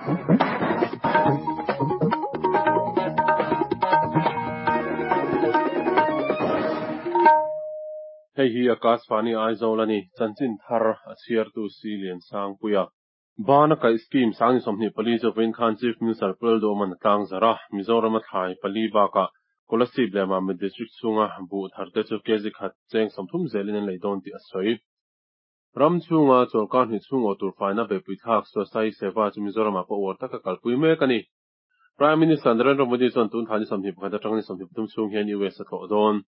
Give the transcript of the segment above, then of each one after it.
Hei hi Akashvani Aizawl a ni, chanchin thar a chhiartu si Liansangpuia. Bana kaih scheme 24 chu vawiin khan Chief Minister Pu Lalduhawman a tlangzarh a, Mizorama thlai pali bakah Kolasib leh Mamit District chhunga buh tharte chu kg khat cheng 30 zelin an lei dawn tih a sawi. Ram chhunga chawlhkar hnih chhung awh tur faina beihpui thlak Swasai Seva chu Mizoramah pawh uar taka kalpui mek a ni. Prime Minister Narendra Modi chuan tun thla ni 21 atanga ni 23 chhung hian US a tlawh dawn.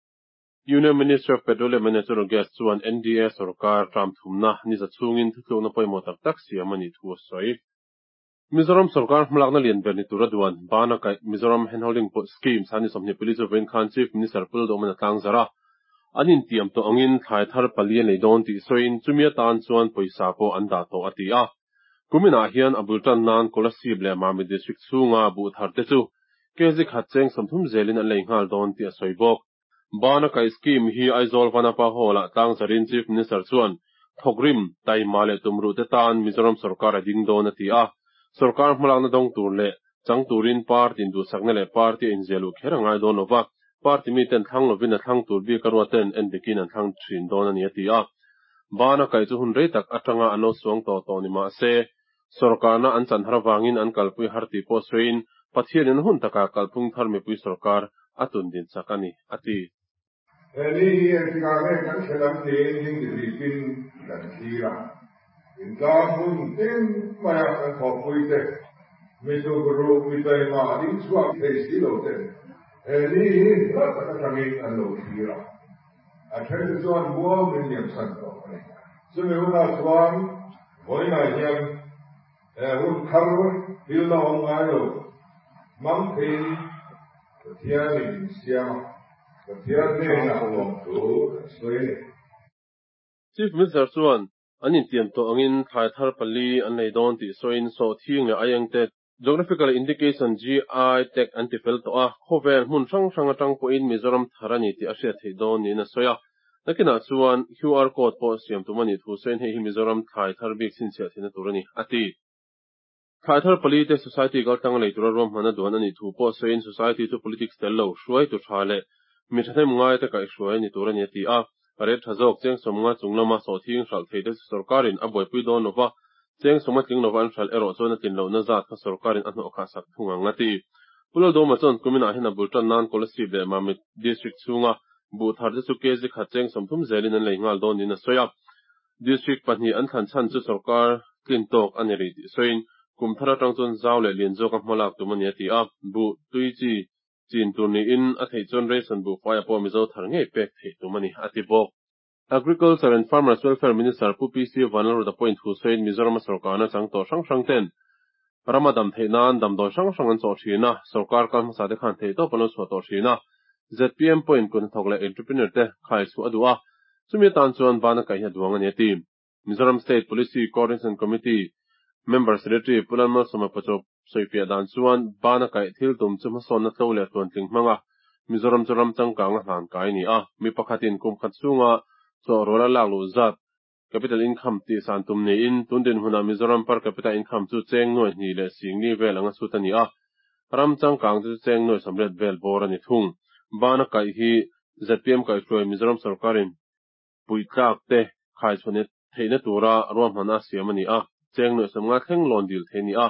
Union Ministry of Petroleum and Natural Gas chuan NDA sorkar term thumna ni za chhungin thutlukna pawimawh tak tak siam a nih thu a sawi. Mizoram sorkar hmalakna lian ber ni tura duan Bana kaih Mizoram Handholding Scheme san ni 24 chu vawiin khan Chief Minister Pu Lalduhawman a tlangzarh a. An intiam tawh angin thlai thar pali a nei dawn tih sawiin chumi atan chuan pawisa pawh an dah tawh a ti a. Kuminah hian a bul tan nan Kolasib leh Mamit District chhunga buh thar te chu kg khat cheng 30 zelin an lei nghal dawn tih a sawi bawk. Bana kaih scheme hi Aizawl Vanapa Hall-ah tlangzarin Chief Minister chuan thawkrim, taima leh tumruh te tan Mizoram sorkar a ding dawn a ti a. Sorkar hmalakna dawng tur leh chang turin party induhsakna leh party a inziah luh kher a ngai dawn lova, party miten thlang lovin a thlang tur bik a ruaten en dikin an thlang thin dawn a ni a ti a. Bana kaih chu hun rei tak atanga an lo suang tawh tawh ni mah se, sorkarna an chan har avangin an kalpui har tih pawh sawiin Pathianin hun takah kalphung thar mipui sorkar a tun din chak a ni, a ti. He ni hi engtikah nge kan thlen ang tiin dingdihlipin kan thlir a, intlang hun tin maia kan thawhpuite, mi tukruh, mi taima ding chhuak thei si lo ten he ni hi hla tak atangin an lo thlir a. A then te chuan muang min liamsan tawh a ni. Chumi hunah chuan vawiinah hian he hun thar thil la awm ngai lo hmang theiin Pathianin min siam a, Pathian hnenah lawmthu kan sawi a ni. Chief Minister chuan an intiam tawh angin thlai thar pali an lei dawn tih sawiin sawhthing leh aiengte Geographical Indication, GI, tag an ti fel tawh a, khawvel hmun hrang hrang atang pawhin Mizoram thar a ni tih a hriat theih dawn niin a sawi a. Nakinah chuan QR code pawh siam tum a nih thu sawiin hei hi Mizoram thlai thar bik chhinchhiah theihna tur a ni, a ti. Thlai thar pali te Society kaltlang lei tura ruahmanna duan a nih thu pawh sawiin Society chu politics tel lo, hruaitu tha leh mi thahnem ngaite kaihhruai a ni tur a ni a ti a. Rate tha zawk cheng 50 chung lama sawhthing hralh theih te chu sorkarin a buaipui dawn lova, cheng 50 tling lova an hralh erawh chuan a tlin lohna zat kha sorkarin a hnawh khah sak thung ang a ti. Pu Lalduhawma chuan kuminah hian a bul tan nan Kolasib leh Mamit District chhunga buh thar te chu kg khat cheng 30 zelin an lei nghal dawn niin a sawi a. District pahnih an thlan chhan chu sorkar tlin tawk a ni rih tih sawiin kum thar atang chuan zau leh lian zawka hmalak tum a ni a ti a. Buh tui chi Chin tur niin a theih chuan ration buhfai a pawh Mizo thar ngei pek theih tum a ni, a ti bawk. Agriculture and Farmers Welfare Minister Pu PC Vanlalruta pawhin thu sawiin Mizorama sorkarna chang tawh hrang hrang ten rama dam theih nan damdawi hrang hrang an chawh thin a, sorkar kal hmasa te khan theihtawp an lo chhuah tawh thin a. ZPM pawhin kut hnathawk leh entrepreneur te khai chhuah a duh a, chumi atan chuan bana kaih hi a duang a ni a ti. Mizoram State Policy Coordination Committee Member Secretary Pu Lalmalsawma Pachawp sawifiah dan chuan bana kaih thil tum chu hmasawnna tlo leh tluantling hmanga Mizoram chu ram changkang a hlan kai a ni a. Mi pakhatin kum khat chhunga chawhrual a lak luh zat capital income tih san tum niin tun dinhmunah Mizoram per capita income chu cheng nuai hnih leh singli vel anga chhut a ni a. Ram changkang te chu cheng nuai 80 vel bawr a ni thung. Bana kaih hi ZPM kaihhruai Mizoram sorkarin puitlak te khaichhuah theihna tura ruahmanna a siam a ni a, cheng nuai 50 thleng loan dil thei a ni a,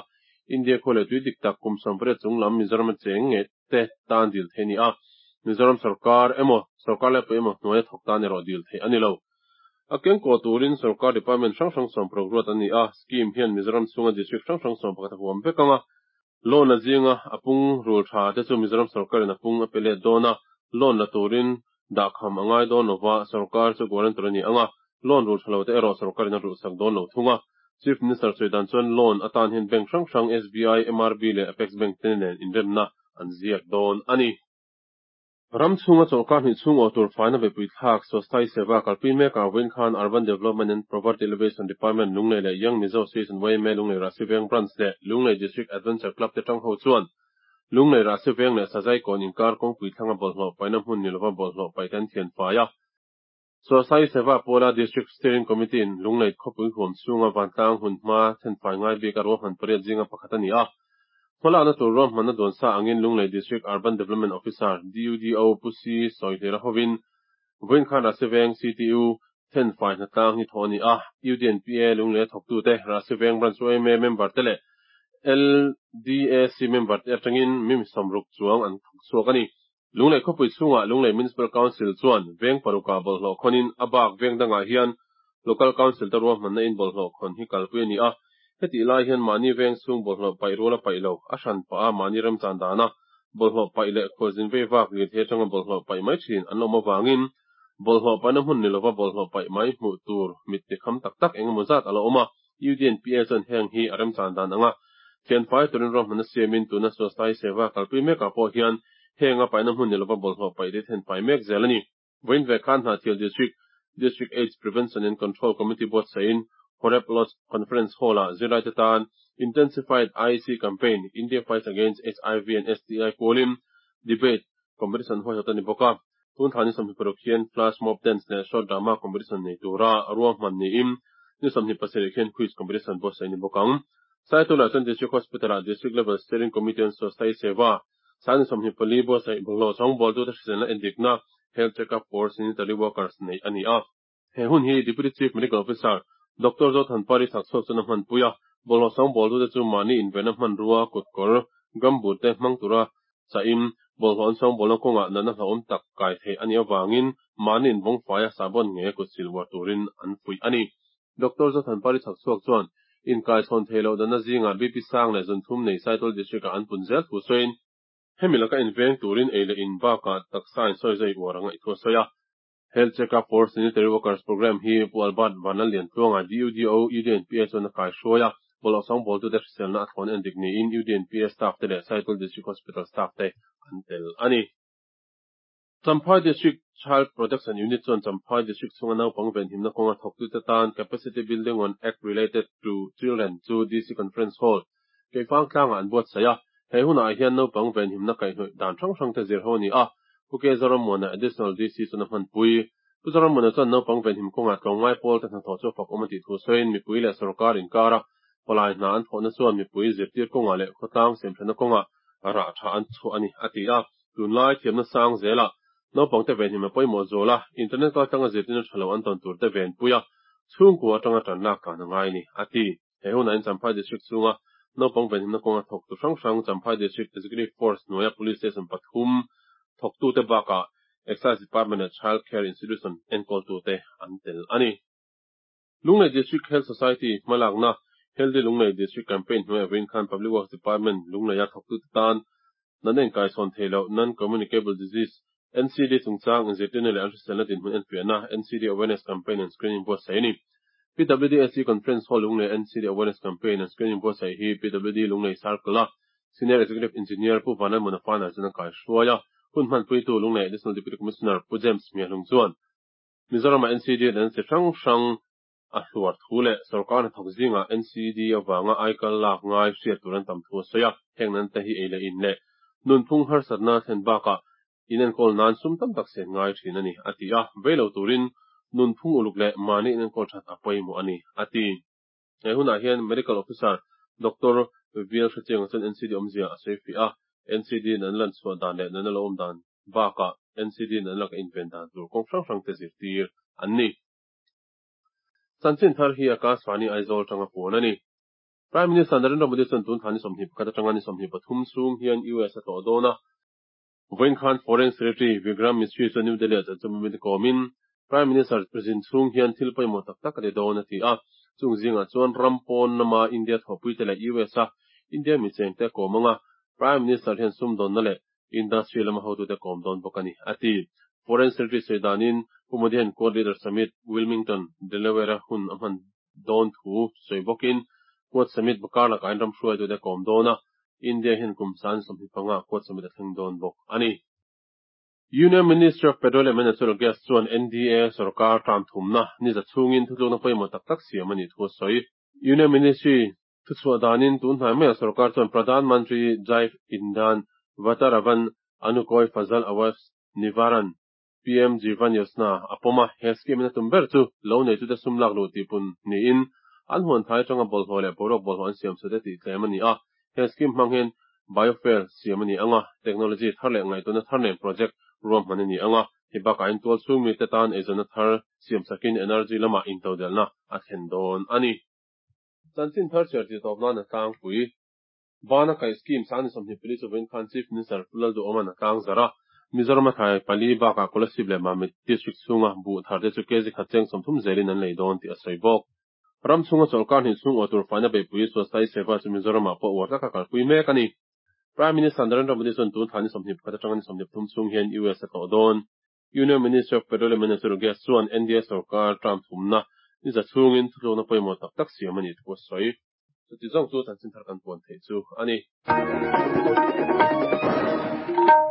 India khua leh tui dik tak kum 80 chung lam Mizorama cheng nge te tan dil thei a ni a, Mizoram sorkar emaw, sorkar laipui emaw hnuaia thawk tan erawh dil theih a ni lo. A kengkaw turin sorkar department hrang hrang 16 ruat an ni a, scheme hian Mizoram chhunga district hrang hrang 11 a huam vek ang a, Loan la zinga a pung rul tha te chu Mizoram sorkarin a pung a pe let dawn a, loan la turin dahkham a ngai dawn lova, sorkar chu guarantor a ni ang a, loan rul tha lo te erawh sorkarin a rulhsak dawn lo thung a. Chief Minister sawi dan chuan loan atan hian bank hrang hrang SBI, MRB leh Apex Bank te nen inremna an ziak dawn a ni. Ram chhunga chawlhkar hnih chhung awh tur faina beihpui thlak Swasthai Seva kalpui mekah vawiin khan Urban Development and Poverty Alleviation Department Lunglei leh Young Mizo Association YMA Lunglei Rahsi Veng Branch leh Lunglei District Adventure Club te tang ho chuan Lunglei Rahsi Veng leh Sazai kawn inkar kawngpui thlanga bawlhhlawh paihna hmun ni lova bawlhhlawh paih te an thian fai a. Swasthya Seva pawla District Steering Committee-in Lunglei khawpui huam chhunga vantlang hun hma thenfai ngai bik a ruahman pariat zinga pakhat a ni a. Hmalakna tur ruahmanna dawn sa angin Lunglei District Urban Development Officer, DUDO, Pu Si Sawihlira hovin vawiin khan Rahsiveng CTU thenfai hnatlang hi thawh a ni a. UDNPA Lunglei a thawktute, Rahsiveng Branch yma member te leh LDAC member te atangin mi 60 chuang an thawk chhuak a ni. Lunglei khawpui chhungah Lunglei Municipal Council chuan veng parukah bawlhhlawh khawnin a bak veng dangah hian Local Council te ruahmanna in bawlhhlawh khawn hi kalpui a ni a. Hetih lai hian mahni veng chhung bawlhhlawh paih rual a paih lo, a hran pah a mahni remchan dana bawlhhlawh paih leh khualzin vei vak lirthei atanga bawlhhlawh paih mai thin an awm avangin bawlhhlawh paihna hmun ni lova bawlhhlawh paih mai hmuh tur mit tikham tak tak engemaw zat a la awm a. UDNPA chuan heng hi a remchan dan anga thianfai turin ruahmanna siamin tuna Swasthya Seva kalpui mekah pawh hian heng a paihna hmun ni lova bawlhhlawh paih te thenfai mek zel a ni. Vawiin ve khan Hnahthial District, District AIDS Prevention and Control Committee buatsahin Horeb Lodge Conference Hall-ah zirlaite tan Intensified IEC Campaign, India Fights Against HIV and STI pualin Debate Competition huaihawt a ni bawk a. Tun thla ni 26 hian Flash Mob Dance leh Short Drama Competition nei tura ruahman niin ni 27 hian Quiz Competition buatsaih a ni bawk ang. Saitulah chuan District Hospital-ah District Level Steering Committee on Swasthya Seva Sang ni 24 buatsaih bawlhhlawh sawngbawltute hriselna endikna, Health Check-up for Sanitary Workers, neih a ni a. He hun hi Deputy Chief Medical Officer, Doctor Zothanpari Chhakchhuak chuan a hmanpui a, bawlhhlawh sawngbawltute chu mahni invenna hmanrua, kutkawr, gumboot te hmang tura chahin bawlhhlawh an sawngbawlna kawngah natna hlauhawm tak kai theih a nih avangin mahni invawngfaia sahbawn ngeia kut sil uar turin an fuih a ni. Doctor Zothanpari Chhakchhuak chuan inkaichhawn theih loh danna zingah BP sang leh zunthum nei Saitual District-ah an pun zel thu sawiin, hemi laka inveng turin ei leh in bakah taksa insawi zai uar a ngaih thu a sawi a. Health Check-up for Sanitary Workers Programme hi Pu Albert Vanlalliantluanga, DUDO, UDNPA chuan a kaihruai a, bawlhhlawh sawngbawltute hriselna a thlawn endik niin UDNPA staff te leh Saitual District Hospital staff te an tel a ni. Champhai District Child Protection Unit chuan Champhai District chhunga naupang venhimna kawnga thawktute tan Capacity Building on Act Related to Children chu DC Conference Hall, Keifang tlangah an buatsaih a. He hunah hian naupang venhimna kaihhnawih dan hrang hrangte zir ho a ni a. Pu K. Zorammuana, Additional DC chuan a hmanpui. Pu Zorammuana chuan naupang venhim kawngah tlawmngai pawlte hnathawh chu a fak awm a tih thu sawiin mipui leh sorkar inkara palai hna an thawhna chuan mipui zirtir kawngah leh khawtlang siamthatna kawngah rah tha an chhuah a ni, a ti a. Tunlai thiamna sang zelah naupangte venhim a pawimawh zual a, internet kaltlanga zirtirna tha lo an tawn turte venpui a, chhungkua atanga tan lak tlan a ngai a ni, a ti. He hunah hian Champhai District chhunga naupang venhimna kawnga thawktu hrang hrang Champhai District Executive Force hnuaia Police Station pathum thawktute bakah Excise Department leh Child Care Institution enkawltute an tel a ni. Lunglei District Health Society hmalakna Healthy Lunglei District Campaign hnuaiah vawiin khan Public Works Department Lungleia thawktute tan natna inkaisawn thei loh, Non-Communicable Disease, NCD, chungchang inzirtirna leh an hriselna dinhmun enfiahna, NCD Awareness Campaign and Screening buatsaih a ni. PWDSC Conference Hall Lunglei NCD Awareness Campaign and Screening buatsaih hi PWD Lunglei Circle-a Senior Executive Engineer Pu Vanlalmuna Fana chuan a kaihruai a, hun hmanpuitu Lunglei Additional Deputy Commissioner Pu James Hmiahlung chuan Mizoramah NCD leh chi hrang hrang a hluar thu leh sorkar hnathawk zingah NCD avanga aikal lak ngai hriat tur an tam thu a sawi a. Heng nan te hi ei leh in leh nunphung harsatna thlen bakah inenkawl nan sum tam tak sen ngai thin a ni, a ti a. Vei lo turin nunphung uluk leh mahni inenkawl that a pawimawh a ni, a ti. He hunah hian Medical Officer Doctor Vial Hrechianga chuan NCD awmzia a sawi fiah a, NCD in an lan chhuah dan leh nana lo awm dan bakah NCD in an laka inven dan tur kawng hrang hrang te zirtir an ni. Chanchin thar hi Akashvani Aizawl atanga puan a ni. Prime Minister Narendra Modi chuan tun thla ni 21 atanga ni 23 chhung hian US a tlawh dawn a. Vawiin khan Foreign Secretary Vikram Misri chuan New Delhi-ah chanchin mite kawmin Prime Minister zin chhung hian thil pawimawh tak tak a ti dawn a ti a. Chung zingah chuan ram pawn lama India thawhpuite leh US-a India mi chengte a kawm anga Prime Minister hian sumdawnna leh Industry lama hotute kawm dawn bawk a ni, a ti. Foreign Secretary sawi danin Pu Modi hian Quad Leaders Summit, Wilmington, Delaware-a hun a hman dawn thu sawi bawkin Quad Summit bakar lakah in ram hruaitute kawm dawn a, India hian kum san 25 Quad Summit a thleng dawn bawk a ni. Union Ministry of Petroleum and Natural Gas chuan NDA sorkar term thumna ni za chhungin thutlukna pawimawh tak tak siam a nih thu a sawi. Union Ministry thuchhuah danin tun hnai maiah sorkar chuan Pradhan Mantri Jaiv Indhan Vataravan Anukoi Fazal Awas Nivaran, PM Jeevan Yojana a pawm a, he scheme in a tum ber chu lo neitute sum lak luh tihpun niin an huan thai atanga bawlhhlawh leh boruak bawlhhlawh an siam chhute tih tlem a ni a. He scheme hmang hian biofuel siam a ni ang a, technology thar leh ngaihtuahna thar nen project ruahman a ni ang a, hei bakah hian tualchhung mite tan eizawnna thar siam sakin energy lamah intodelhna a thlen dawn a ni. Chanchin thar chhiar tih tawp nan a tlangpui. Bana kaih scheme sang ni 24 chu vawiin khan Chief Minister Pu Lalduhawma'n a tlang zarh a. Mizoram a thlai pali bakah Kolasib leh Mamit District chhunga buh thar te chu kg khat cheng 30 zelin an lei dawn tih a sawi bawk. Ram chhunga chawlhkar hnih chhung awh tur faina beihpui Swasthai Seva chu Mizoramah pawh uar taka kalpui mek a ni. Prime Minister Narendra Modi chuan tun thla ni 21 atanga ni 23 chhung hian US a tlawh dawn. Union Ministry of Petroleum and Natural Gas chuan NDA sorkar term thumna ni za chhungin thutlukna pawimawh tak tak siam a nih thu a sawi. Chuti zawng chu chanchin thar kan puan theih chu a ni.